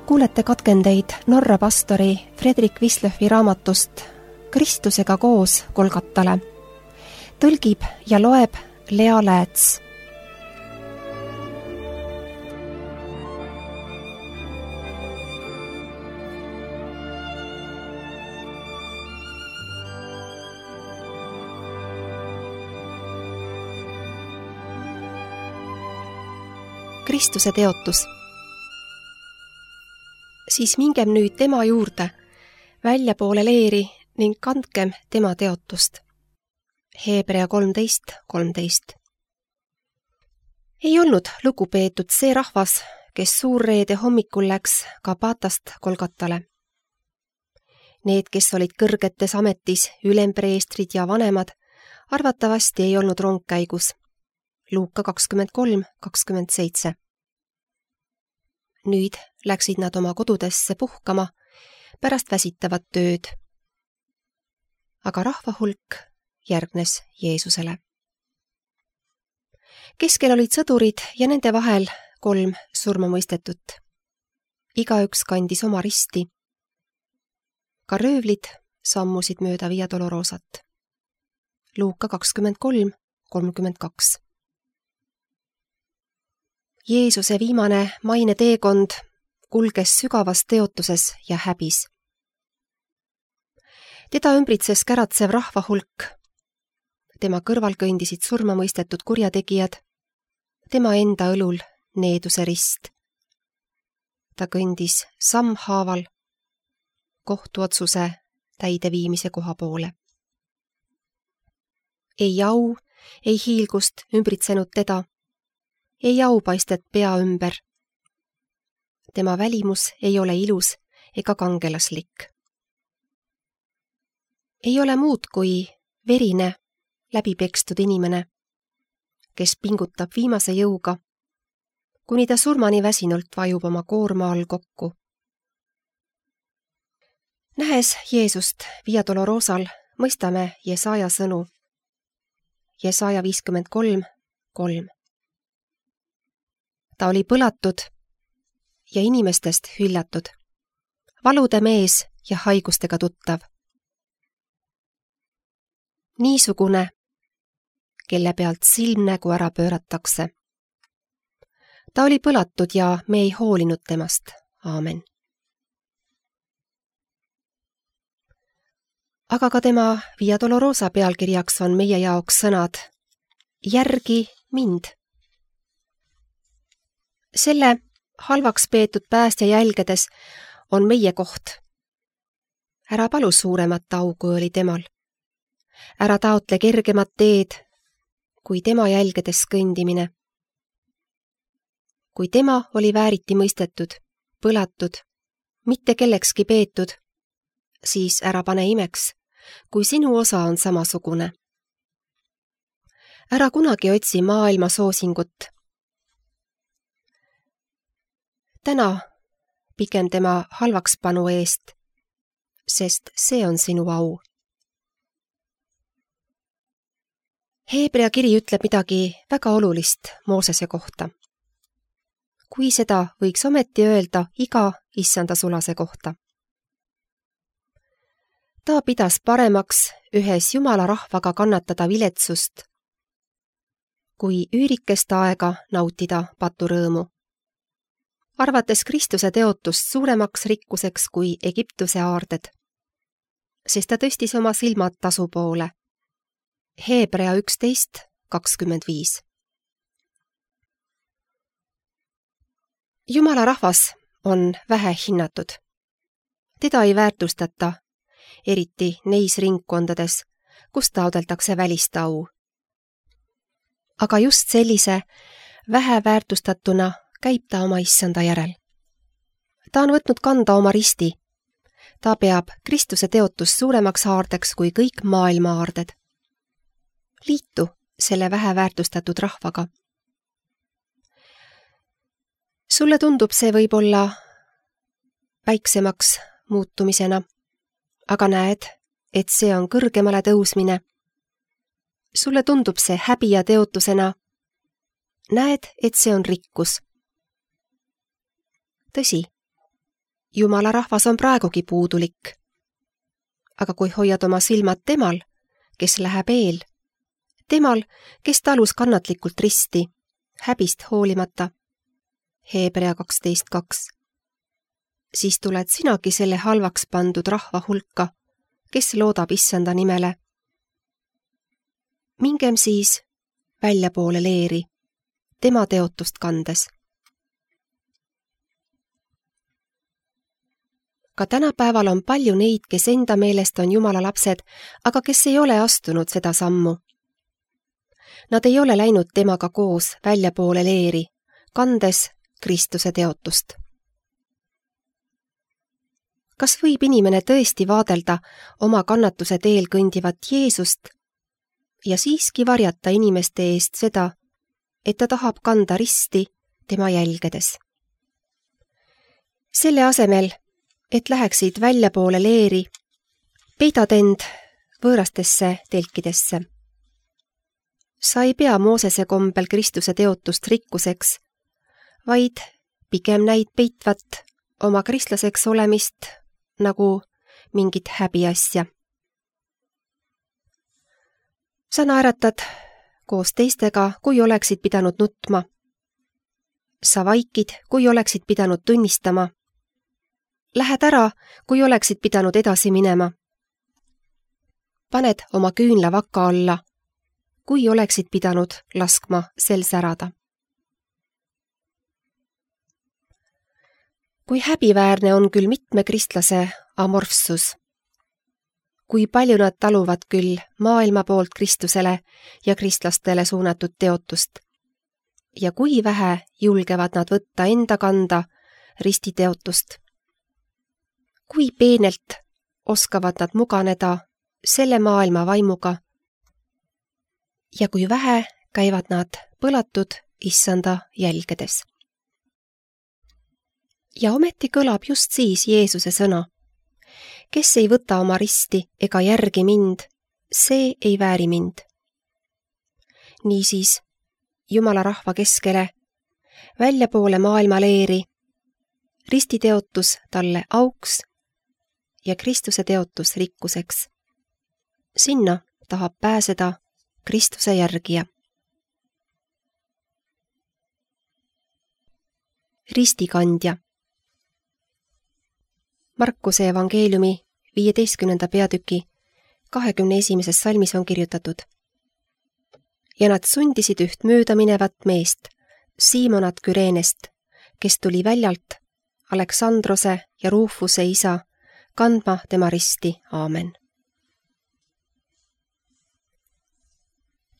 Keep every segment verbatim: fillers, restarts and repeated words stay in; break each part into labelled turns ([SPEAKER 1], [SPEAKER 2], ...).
[SPEAKER 1] Kuulete katkendeid Norra pastori Fredrik Wislöfi raamatust Kristusega koos Golgatale. Tõlgib ja loeb Lea Lääts. Kristuse teotus. Siis mingem nüüd tema juurde, väljapoole leeri ning kandkem tema teotust. Hebrea kolmteist kolmteist. Ei olnud lugupeetud see rahvas, kes suurreede hommikul läks Gabatast Golgatale. Need, kes olid kõrgetes ametis, ülempreestrid ja vanemad, arvatavasti ei olnud rongkäigus. Luuka kakskümmend kolm kakskümmend seitse. Nüüd läksid nad oma kodudesse puhkama pärast väsitavat tööd. Aga rahvahulk järgnes Jeesusele. Keskel olid sõdurid ja nende vahel kolm surmamõistetut. Igaüks kandis oma risti. Ka röövlid sammusid mööda Via Dolorosat. Luuka kakskümmend kolm kolmkümmend kaks. Jeesuse viimane maine teekond kulges sügavas teotuses ja häbis. Teda ümbritses käratsev rahvahulk. Tema kõrval kõndisid surmamõistetud kurjategijad. Tema enda õlul needuse rist. Ta kõndis sammhaaval kohtuotsuse täideviimise koha poole. Ei au, ei hiilgust ümbritsenud teda. Ei aupaistet pea ümber. Tema välimus ei ole ilus ega kangelaslik. Ei ole muud kui verine, läbipekstud inimene, kes pingutab viimase jõuga, kuni ta surmani väsinult vajub oma koorma all kokku. Nähes Jeesust Via Dolorosal, mõistame Jesaja sõnu. Jesaja viiskümmend kolm kolm. Ta oli põlatud ja inimestest hüljatud, valude mees ja haigustega tuttav. Niisugune, kelle pealt silmnägu ära pööratakse. Ta oli põlatud ja me ei hoolinud temast. Aamen. Aga ka tema Via Dolorosa pealkirjaks on meie jaoks sõnad järgi mind. Selle halvaks peetud päästja jälgedes on meie koht. Ära palu suuremat au, kui oli temal. Ära taotle kergemat teed, kui tema jälgedes kõndimine. Kui tema oli vääriti mõistetud, põlatud, mitte kellekski peetud, siis ära pane imeks, kui sinu osa on samasugune. Ära kunagi otsi maailma soosingut. Täna pigem tema halvakspanu eest, sest see on sinu au. Hebrea kiri ütleb midagi väga olulist Moosese kohta. Kui seda võiks ometi öelda iga issanda sulase kohta. Ta pidas paremaks ühes Jumala rahvaga kannatada viletsust, kui üürikest aega nautida paturõõmu. Arvates Kristuse teotust suuremaks rikkuseks kui Egiptuse aarded, sest ta tõstis oma silmad tasu poole. Hebrea üksteist kakskümmend viis. Jumala rahvas on vähe hinnatud. Teda ei väärtustata, eriti neis ringkondades, kus taodeldakse välist au. Aga just sellise vähe väärtustatuna käib ta oma issanda järel. Ta on võtnud kanda oma risti. Ta peab Kristuse teotust suuremaks aardeks kui kõik maailma aarded. Liitu selle vähe väärtustatud rahvaga. Sulle tundub see võib-olla väiksemaks muutumisena, aga näed, et see on kõrgemale tõusmine. Sulle tundub see häbi ja teotusena. Näed, et see on rikkus. Tõsi, Jumala rahvas on praegugi puudulik. Aga kui hoiad oma silmad temal, kes läheb eel, temal, kes talus kannatlikult risti, häbist hoolimata, Hebrea kaksteist kaks, siis tuled sinagi selle halvaks pandud rahva hulka, kes loodab issanda nimele. Mingem siis väljapoole leeri, tema teotust kandes. Ka tänapäeval on palju neid, kes enda meelest on Jumala lapsed, aga kes ei ole astunud seda sammu. Nad ei ole läinud temaga koos väljapoole leeri, kandes Kristuse teotust. Kas võib inimene tõesti vaadelda oma kannatuse teel kõndivat Jeesust ja siiski varjata inimeste eest seda, et ta tahab kanda risti tema jälgedes? Selle asemel, et läheksid väljapoole leeri, peidad end võõrastesse telkidesse. Sa ei pea Moosese kombel Kristuse teotust rikkuseks, vaid pigem näid peitvat oma kristlaseks olemist nagu mingit häbiasja. Sa naeratad koos teistega, kui oleksid pidanud nutma. Sa vaikid, kui oleksid pidanud tunnistama. Lähed ära, kui oleksid pidanud edasi minema. Paned oma küünla vaka alla, kui oleksid pidanud laskma sel särada. Kui häbiväärne on küll mitme kristlase amorfsus, kui palju nad taluvad küll maailma poolt Kristusele ja kristlastele suunatud teotust ja kui vähe julgevad nad võtta enda kanda ristiteotust. Kui peenelt oskavad nad muganeda selle maailma vaimuga ja kui vähe käivad nad põlatud issanda jälgedes. Ja ometi kõlab just siis Jeesuse sõna. Kes ei võta oma risti ega järgi mind, see ei vääri mind. Niisiis, Jumala rahva keskele, väljapoole maailma leeri, ristiteotus talle auks ja Kristuse teotus rikkuseks. Sinna tahab pääseda Kristuse järgija. Ristikandja. Markuse evangeeliumi viieteistkümnenda peatüki kahekümne esimeses salmis on kirjutatud. Ja nad sundisid üht mööda minevat meest, Siimonat Küreenest, kes tuli väljalt Aleksandrose ja Ruufuse isa, kandma tema risti. Aamen.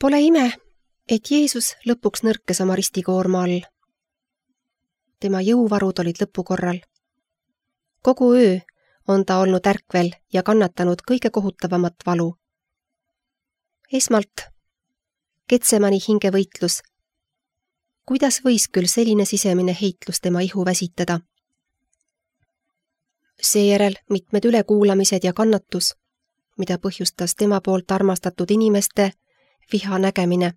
[SPEAKER 1] Pole ime, et Jeesus lõpuks nõrkes oma ristikoorma all. Tema jõuvarud olid lõpukorral. Kogu öö on ta olnud ärkvel ja kannatanud kõige kohutavamat valu. Esmalt Getsemani hingevõitlus. Kuidas võis küll selline sisemine heitlus tema ihu väsitada? Seejärel mitmed ülekuulamised ja kannatus, mida põhjustas tema poolt armastatud inimeste viha nägemine.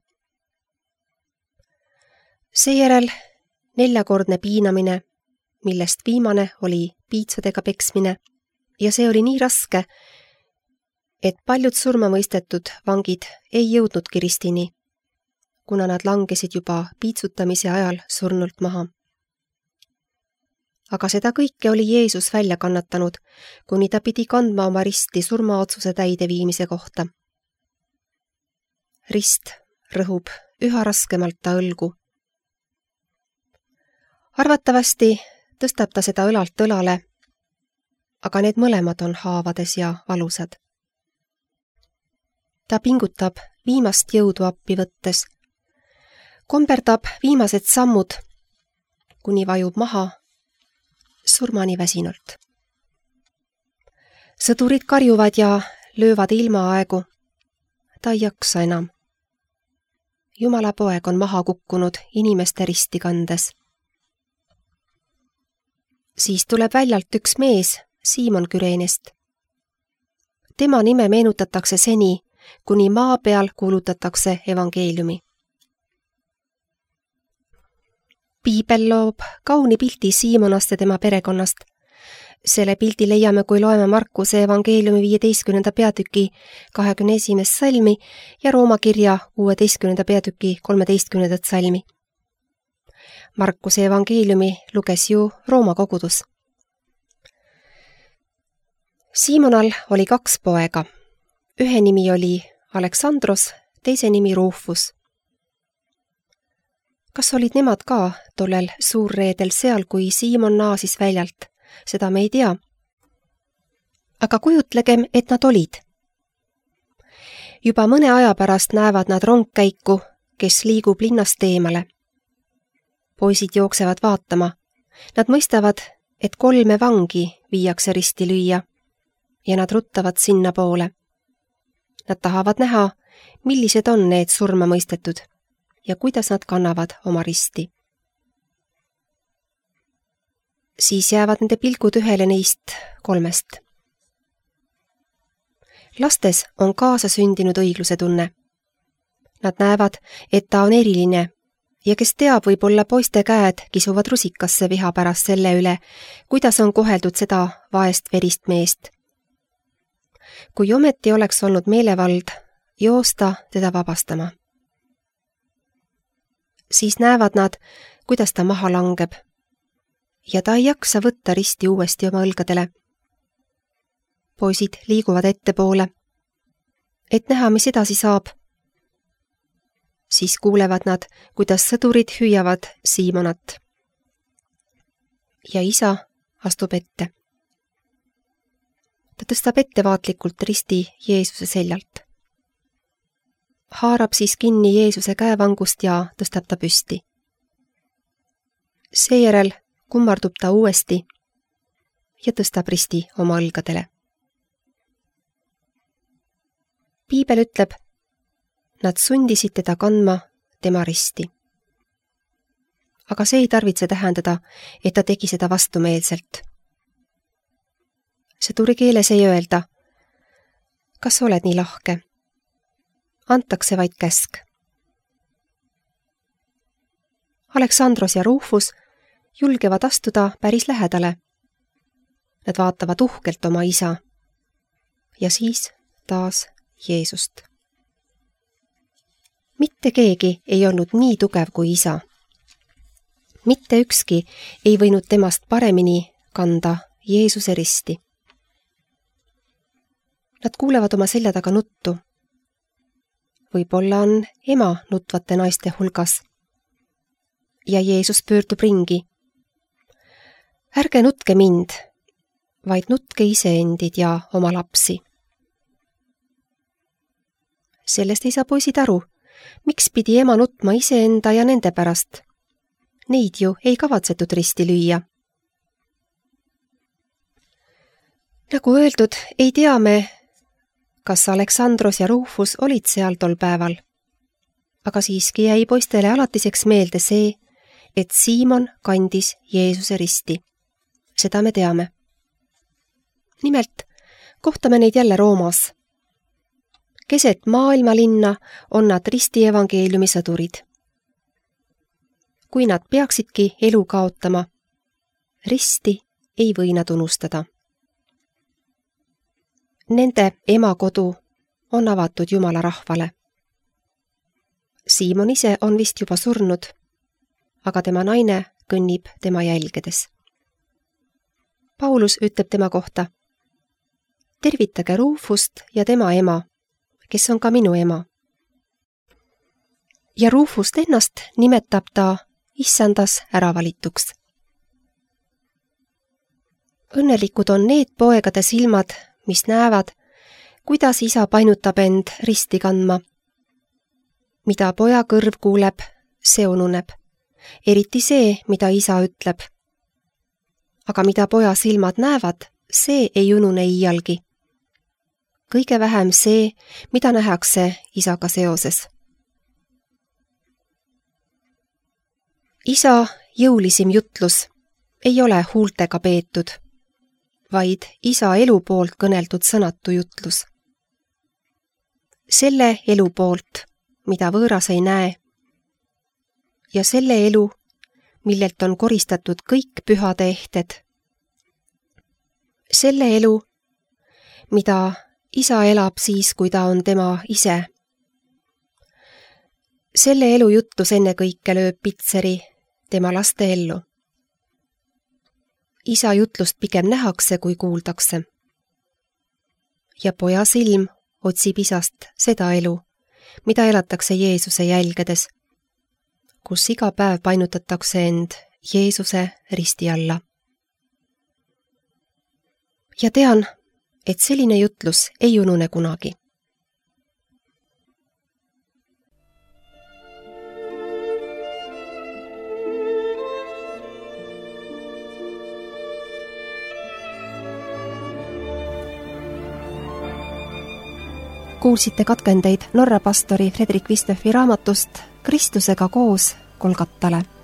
[SPEAKER 1] Seejärel neljakordne piinamine, millest viimane oli piitsadega peksmine ja see oli nii raske, et paljud surmamõistetud vangid ei jõudnudki ristini, kuna nad langesid juba piitsutamise ajal surnult maha. Aga seda kõike oli Jeesus välja kannatanud, kuni ta pidi kandma oma risti surmaotsuse täideviimise kohta. Rist rõhub üha raskemalt ta õlgu. Arvatavasti tõstab ta seda õlalt õlale, aga need mõlemad on haavades ja valusad. Ta pingutab viimast jõudu appi võttes, komberdab viimased sammud, kuni vajub maha surmani väsinult. Sõdurid karjuvad ja löövad ilmaaegu. Ta ei jaksa enam. Jumala poeg on maha kukkunud inimeste risti kandes. Siis tuleb väljalt üks mees, Siimon Küreenest. Tema nime meenutatakse seni, kuni maa peal kuulutatakse evangeeliumi. Piibel loob kauni pildi Siimonast ja tema perekonnast, Selle pildi leiame, kui loeme Markuse evangeeliumi viieteistkümnenda peatüki kahekümne esimest salmi ja Rooma kirja kuueteistkümnenda peatüki kolmeteistkümnendat salmi. Markuse evangeeliumi luges ju Rooma kogudus. Siimonal oli kaks poega. Ühe nimi oli Aleksandros, teise nimi Rufus. Kas olid nemad ka tollel suurreedel seal, kui Siimon naasis väljalt? Seda me ei tea. Aga kujutlegem, et nad olid. Juba mõne aja pärast näevad nad rongkäiku, kes liigub linnast eemale. Poisid jooksevad vaatama. Nad mõistavad, et kolme vangi viiakse risti lüüa ja nad ruttavad sinna poole. Nad tahavad näha, millised on need surma mõistetud ja kuidas nad kannavad oma risti. Siis jäävad nende pilgud ühele neist kolmest. Lastes on kaasa sündinud õigluse tunne. Nad näevad, et ta on eriline ja kes teab, võib-olla poiste käed kisuvad rusikasse viha pärast selle üle, kuidas on koheldud seda vaest verist meest. Kui ometi oleks olnud meelevald joosta teda vabastama. Siis näevad nad, kuidas ta maha langeb ja ta ei jaksa võtta risti uuesti oma õlgadele. Poisid liiguvad ettepoole, et näha, mis edasi saab. Siis kuulevad nad, kuidas sõdurid hüüavad Siimonat. Ja isa astub ette. Ta tõstab ettevaatlikult risti Jeesuse seljalt. Haarab siis kinni Jeesuse käevangust ja tõstab ta püsti. Seejärel kummardub ta uuesti ja tõstab risti oma õlgadele. Piibel ütleb, nad sundisid teda kandma tema risti. Aga see ei tarvitse tähendada, et ta tegi seda vastumeelselt. Sõduri keeles ei öelda, kas oled nii lahke? Antakse vaid käsk. Aleksandros ja Rufus julgevad astuda päris lähedale. Nad vaatavad uhkelt oma isa ja siis taas Jeesust. Mitte keegi ei olnud nii tugev kui isa. Mitte ükski ei võinud temast paremini kanda Jeesuse risti. Nad kuulevad oma selja taga nuttu. Võib-olla on ema nutvate naiste hulgas. Ja Jeesus pöördub ringi. Ärge nutke mind, vaid nutke iseendid ja oma lapsi. Sellest ei saa poisid aru, miks pidi ema nutma iseenda ja nende pärast. Neid ju ei kavatsetud risti lüüa. Nagu öeldud, ei tea me, kas Aleksandros ja Rufus olid seal tol päeval. Aga siiski jäi poistele alatiseks meelde see, et Siimon kandis Jeesuse risti. Seda me teame. Nimelt, kohtame neid jälle Roomas. Keset maailmalinna on nad risti evangeeliumi sõdurid. Kui nad peaksidki elu kaotama, risti ei või nad unustada. Nende emakodu on avatud Jumala rahvale. Siimon ise on vist juba surnud, aga tema naine kõnnib tema jälgedes. Paulus ütleb tema kohta, tervitage Rufust ja tema ema, kes on ka minu ema. Ja Rufust ennast nimetab ta issandas äravalituks. Õnnelikud on need poegade silmad, mis näevad, kuidas isa painutab end risti kandma. Mida poja kõrv kuuleb, see ununeb. Eriti see, mida isa ütleb. Aga mida poja silmad näevad, see ei unune iialgi. Kõige vähem see, mida nähakse isaga seoses. Isa jõulisim jutlus ei ole huultega peetud, vaid isa elu poolt kõneldud sõnatu jutlus. Selle elu poolt, mida võõras ei näe, ja selle elu, millelt on koristatud kõik pühade ehted. selle elu, mida isa elab siis, kui ta on tema ise. Selle elu jutlus ennekõike lööb pitseri tema laste ellu. Isa jutlust pigem nähakse, kui kuuldakse. Ja poja silm otsib isast seda elu, mida elatakse Jeesuse jälgedes, kus iga päev painutatakse end Jeesuse risti alla. Ja tean, et selline jutlus ei unune kunagi. Kuulsite katkendeid Norra pastori Fredrik Vistøfi raamatust Kristusega koos Golgatale.